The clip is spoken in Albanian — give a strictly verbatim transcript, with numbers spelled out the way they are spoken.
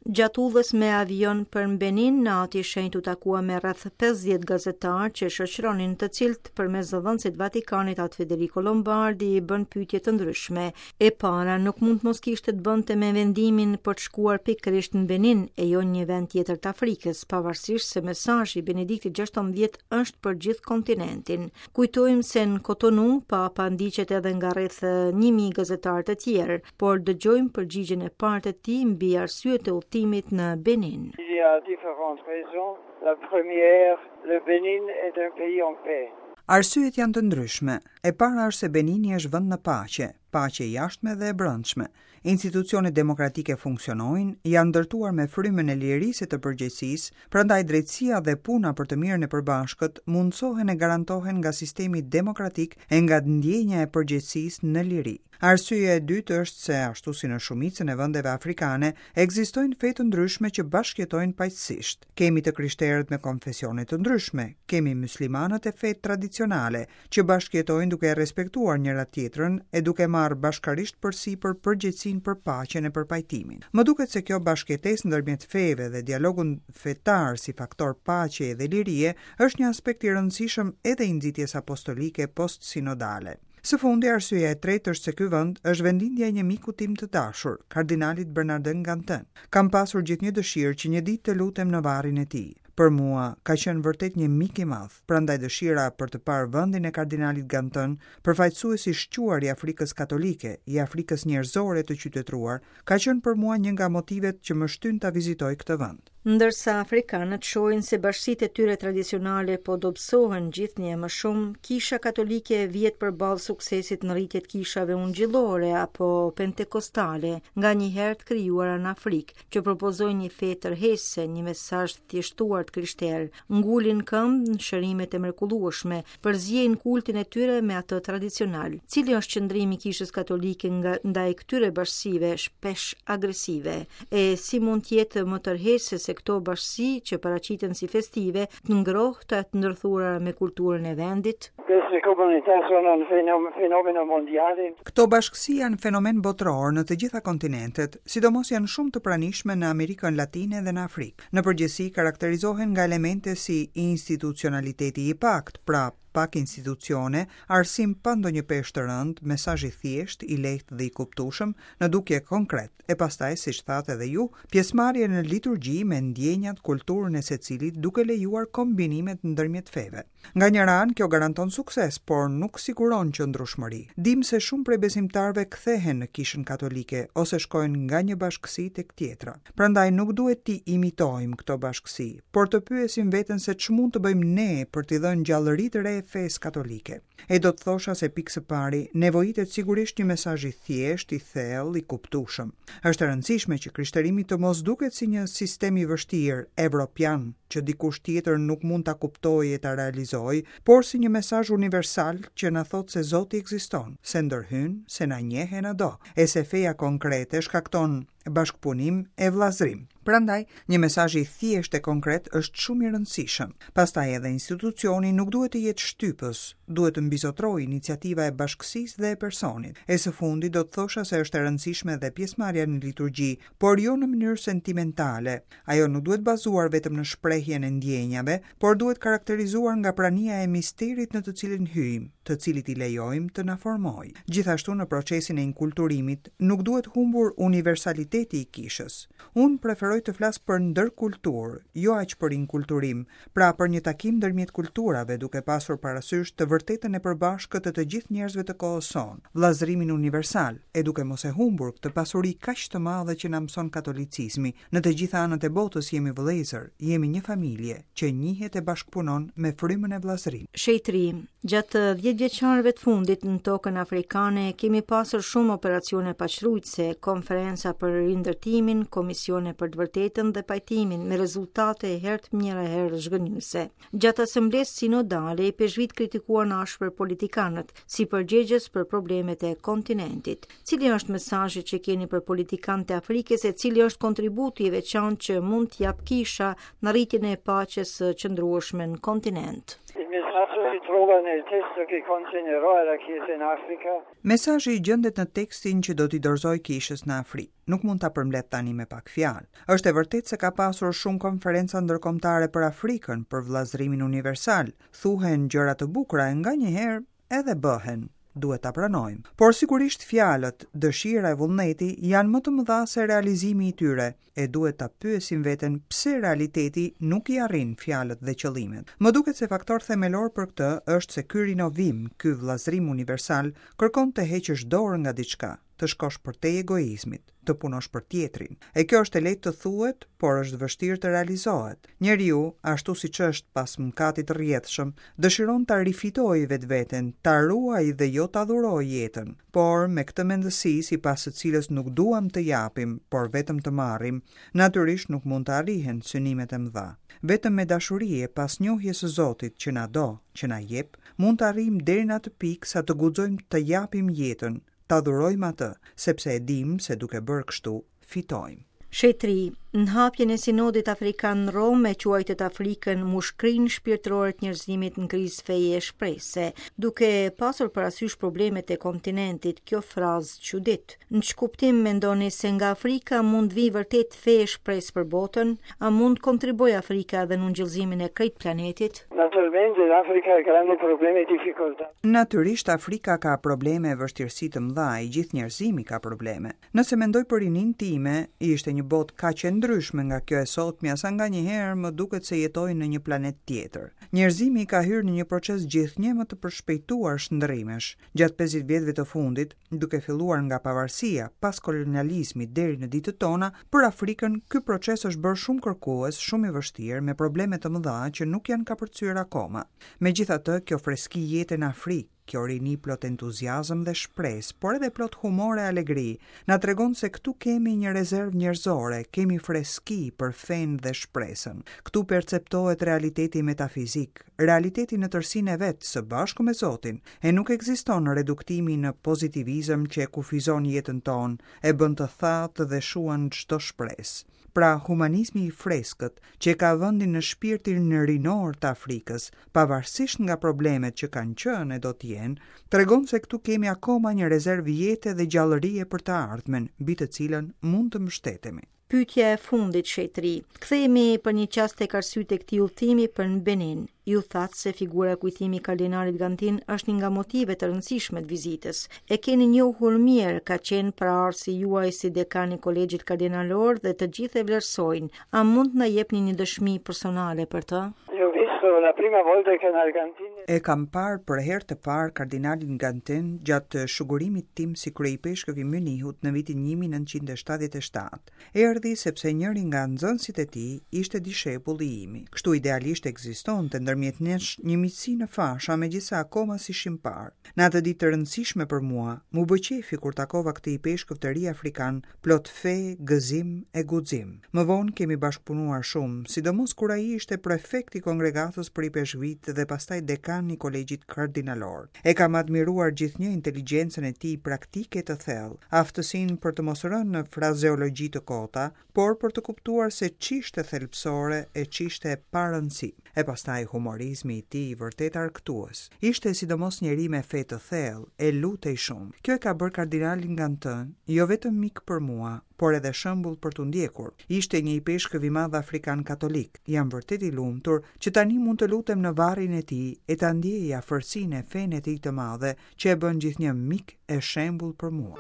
Gjatë udhës me avion për në Benin, Ati i Shenjtë u takua me rreth pesëdhjetë gazetarë që shoqëronin, të cilët përmes zëdhënësit Vatikanit Atë Federico Lombardi i bën pyetje të ndryshme. E para nuk mund të mos kishte të bënte me vendimin për të shkuar pikërisht në Benin e jo në një vend tjetër të Afrikës, pavarësisht se mesazhi i Benediktit gjashtëmbëdhjetë është për gjithë kontinentin. Kujtojmë se në Cotonou Papa ndiqet edhe nga rreth një mijë gazetarë të tjerë, por dëgjojmë përgjigjen e parë të tij mbi arsyet e udhëtimit në Benin. Il y a différentes raisons. La première, le Bénin est un pays en paix. Arsyet janë të ndryshme. E para është se Benini është vend në paqe, paqe e jashtme dhe e brendshme. Institucionet demokratike funksionojnë, janë ndërtuar me frymën e lirisë e të përgjegjësisë, prandaj drejtësia dhe puna për të mirën e përbashkët mundësohen e garantohen nga sistemi demokratik e nga ndjenja e përgjegjësisë në liri. Arsyeja e dytë është se, ashtu si në shumicën e vendeve afrikane, ekzistojnë fe të ndryshme që bashkëjetojnë paqësisht. Kemi të krishterët me konfesione të ndryshme, kemi muslimanët e fetë tradicionale që bashkëjetojnë duke e respektuar njëra tjetrën e duke marrë bashkarisht përsipër përgjegjësinë për paqen e për pajtimin. Më duket se kjo bashkëjetesë ndërmjet feve dhe dialogun fetar si faktor paqeje dhe lirie është një aspekt i rëndësishëm edhe i nxitjes apostolike post-sinodale. Së fundi, arsyeja e tretë është se ky vend është vendlindja e një miku tim të dashur, kardinalit Bernardin Gantin. Kam pasur gjithnjë dëshirë që një ditë të lutem në varrin e tij. Për mua ka qenë vërtet një mik i madh, prandaj dëshira për të parë vendin e kardinalit Gantin, përfaqësues i shquar i Afrikës Katolike, i Afrikës njerëzore të qytetëruar, ka qenë për mua një nga motivet që më shtyn ta vizitoj këtë vend. Ndërsa afrikanët shohin se bashkësitë e tyre tradicionale po dobësohen gjithnjë e më shumë, Kisha Katolike vihet përballë suksesit në rritje të kishave ungjillore apo pentekostale, nga një herë të krijuara në Afrikë, që propozojnë një fe tërheqëse, një mesazh të thjeshtuar të krishterë, ngulin këmbë në shërimet e mrekullueshme, përziejnë kultin e tyre me atë tradicional. Cili është qëndrimi i Kishës Katolike nga, ndaj këtyre bashkësive shpesh agresive? E si mund të jetë më tërheqëse se këto bashkësi që paraqiten si festive, të ngrohta e të ndërthurura me kulturën e vendit? Queste comunità sono un fenom-, fenomeno mondiale. Këto bashkësi janë fenomen botëror në të gjitha kontinentet, sidomos janë shumë të pranishme në Amerikën Latine dhe në Afrikë. Në përgjithësi karakterizohen nga elemente si institucionaliteti i pakt, pra pak institucione, arsim pa ndonjë peshë të rëndë, mesazh i thjeshtë, i lehtë dhe i kuptueshëm, në dukje konkret, e pastaj, siç thatë edhe ju, pjesëmarrje në liturgji me ndjenjat, kulturën e secilit, duke lejuar kombinimet ndërmjet feve. Nga njëra anë, kjo garanton sukses, por nuk siguron qëndrueshmëri. Dim se shumë prej besimtarëve kthehen në Kishën Katolike ose shkojnë nga një bashkësi tek tjetra. Prandaj nuk duhet t'i imitojmë këto bashkësi, por të pyesim veten se ç'mund të bëjmë ne për t'i dhënë gjallëri të re fesë katolike. E do të thosha se pikë së pari nevojitet sigurisht një mesazh i thjeshtë, i thellë, i kuptueshëm. Është e rëndësishme që krishterimi të mos duket si një sistem i vështirë evropian që dikush tjetër nuk mund ta kuptojë e ta realizojë, por si një mesazh universal që na thotë se Zoti ekziston, se ndërhyn, se na njeh e na do, e se feja konkrete shkakton bashkëpunim e vllazrim. Prandaj, një mesazh i thjeshtë e konkret është shumë i rëndësishëm. Pastaj edhe institucioni nuk duhet të jetë shtypës, duhet të mbizotrojë iniciativa e bashkësisë dhe e personit. E së fundi do të thosha se është e rëndësishme edhe pjesëmarrja në liturgji, por jo në mënyrë sentimentale. Ajo nuk duhet bazuar vetëm në shprehjen e ndjenjave, por duhet karakterizuar nga prania e misterit në të cilin hyjmë, të cilit i lejojmë të na formojë. Gjithashtu në procesin e inkulturimit nuk duhet humbur universaliteti i kishës. Unë preferoj të flas për ndërkulturë, jo aq për inkulturim, pra për një takim ndërmjet kulturave, duke pasur parasysh të vërtetën e përbashkët të të gjithë njerëzve të kohës sonë, vllazërimin universal, e duke mos e humbur këtë pasuri kaq të madhe që na mëson katolicizmi. Në të gjitha anët e botës jemi vëllezër, jemi një familje që njihet e bashkëpunon me frymën e vllazërimit. Shenjtëri, gjatë dhjetë vjeçarëve të fundit në tokën afrikane kemi pasur shumë operacione paqrujtëse, konferenca për rindërtimin, komisione për të vërtetën dhe pajtimin, me rezultate herë të mira e herë zhgënjyese. Gjatë asamblesë sinodale, ipeshkvit kritikuan ashpër politikanët si përgjegjës për problemet e kontinentit. Cili është mesazhi që keni për politikanët e Afrikës e cili është kontributi i veçantë që mund t'jap kisha në rritjen e paqes së qëndrueshme në kontinent? Il messaggio si trova trova nel testo che consegnerò alla Chiesa in Africa. Mesazhi gjendet në tekstin që do t'i dorëzoj kishës në Afrikë. Nuk mund ta përmbledh tani me pak fjalë. Është e vërtetë se ka pasur shumë konferenca ndërkombëtare për Afrikën, për vëllazërimin universal. Thuhen gjëra të bukura e nganjëherë edhe bëhen duhet ta pranojmë. Por sigurisht fjalët, dëshira e vullneti janë më të mëdha se realizimi i tyre, e duhet ta pyesim veten pse realiteti nuk i arrin fjalët dhe qëllimet. Më duket se faktor themelor për këtë është se ky rinovim, ky vëllazërim universal kërkon të heqësh dorë nga diçka, të shkosh përtej egoizmit, të punosh për tjetrin. E kjo është e lehtë të thuhet, por është vështirë të realizohet. Njeriu, ashtu siç është pas mëkatit të rrjedhshëm, dëshiron ta rifitojë vetveten, ta ruajë dhe jo ta dhurojë jetën. Por me këtë mendësi, sipas së cilës nuk duam të japim, por vetëm të marrim, natyrisht nuk mund të arrihen synimet e mëdha. Vetëm me dashuri e pas njohjes së Zotit që na do, që na jep, mund të arrijmë deri në atë pikë sa të guxojmë të japim jetën, ta dhurojmë atë, sepse e dim se duke bërë kështu, fitojmë. Shenjtëri, në hapjen e sinodit afrikan në Romë e quajtët Afrikën mushkrinë shpirtërore të njerëzimit në krizë feje e shprese, duke pasur parasysh problemet e kontinentit, kjo frazë çudit. Në ç'kuptim mendoni se nga Afrika mund të vijë vërtet fe e shpresë për botën, a mund të kontribuojë Afrika edhe në ungjillëzimin e krejt planetit? Naturalmente l'Africa ha grandi problemi e difficoltà. Natyrisht Afrika ka probleme e vështirësi të mëdha, i gjithë njerëzimi ka probleme. Nëse mendoj për rininë time, ishte një botë kaq e ndryshme nga kjo e sotmja, sa nganjëherë më duket se jetoj në një planet tjetër. Njerëzimi ka hyrë në një proces gjithnjë më të përshpejtuar shndërrimesh. Gjatë pesëdhjetë vjetëve të fundit, duke filluar nga pavarësia, pas kolonializmit deri në ditët tona, për Afrikën ky proces është bërë shumë kërkues, shumë i vështirë, me probleme të mëdha që nuk janë kapërcyer akoma. Megjithatë, kjo freski jete në Afrikë, kjo rini plot entuziazëm dhe shpresë, por edhe plot humor e alegri, na tregon se këtu kemi një rezervë njerëzore, kemi freski për fenë dhe shpresën. Këtu perceptohet realiteti metafizik, realiteti në tërësinë e vet së bashku me Zotin, e nuk ekziston reduktimi në pozitivizëm që e kufizon jetën tonë, e bën të thatë dhe shuan çdo shpresë. Pra, humanizmi i freskët, që e ka vendin në shpirtin rinor të Afrikës, pavarësisht nga problemet që kanë qenë e do të jenë, tregon se këtu kemi akoma një rezervë jete dhe gjallërie për të ardhmen, mbi të cilën mund të mbështetemi. Pyetja e fundit, shenjtëri. Kthehemi për një çast tek arsyet e këtij udhëtimi për në Benin. Ju thatë se figura e kujtimi i kardinalit Gantin është një nga motivet e rëndësishme të vizitës. E keni njohur mirë, ka qenë paraardhësi juaj si dekan i kolegjit kardinalor dhe të gjithë e vlerësojnë. A mund të na jepni një dëshmi personale për të? Io ho visto la prima volta il cardinal Gantin. E kam parë për herë të parë kardinalin Gantin gjatë shugurimit tim si kryeipeshkëv i Mynihut në vitin një mijë e nëntëqind e shtatëdhjetë e shtatë. Erdhi sepse njëri nga nxënësit e tij ishte dishepulli imi. Kështu idealisht ekzistonte ndërmjet nesh një miqësi në fasha, megjithëse akoma s'ishim parë. Në atë ditë të rëndësishme për mua, mu bë qefi kur takova këtë ipeshkëv të ri afrikan, plot fe, gëzim e guxim. Më vonë kemi bashkëpunuar shumë, sidomos kur ai ishte prefekt i kongregatës për ipeshkvit dhe pastaj dekan i kolegjit kardinalor. E kam admiruar gjithnjë inteligjencën e tij praktike të thellë, aftësinë për të mos rënë në frazeologji të kota, por për të kuptuar se ç'ishte thelbësore e ç'ishte e parëndësi. E pastaj humorizmi i tij vërtet arkëtues. Ishte sidomos njeri me fe të thellë, e lutej shumë. Kjo e ka bërë kardinalin Gantin jo vetëm mik për mua, por edhe shembull për t'u ndjekur. Ishte një ipeshkëv i madh afrikan katolik. Jam vërtet i lumtur që tani mund të lutem në varrin e tij e ta ndjej afërsinë e fenë e tij të madhe, që e bën gjithnjë mik e shembull për mua.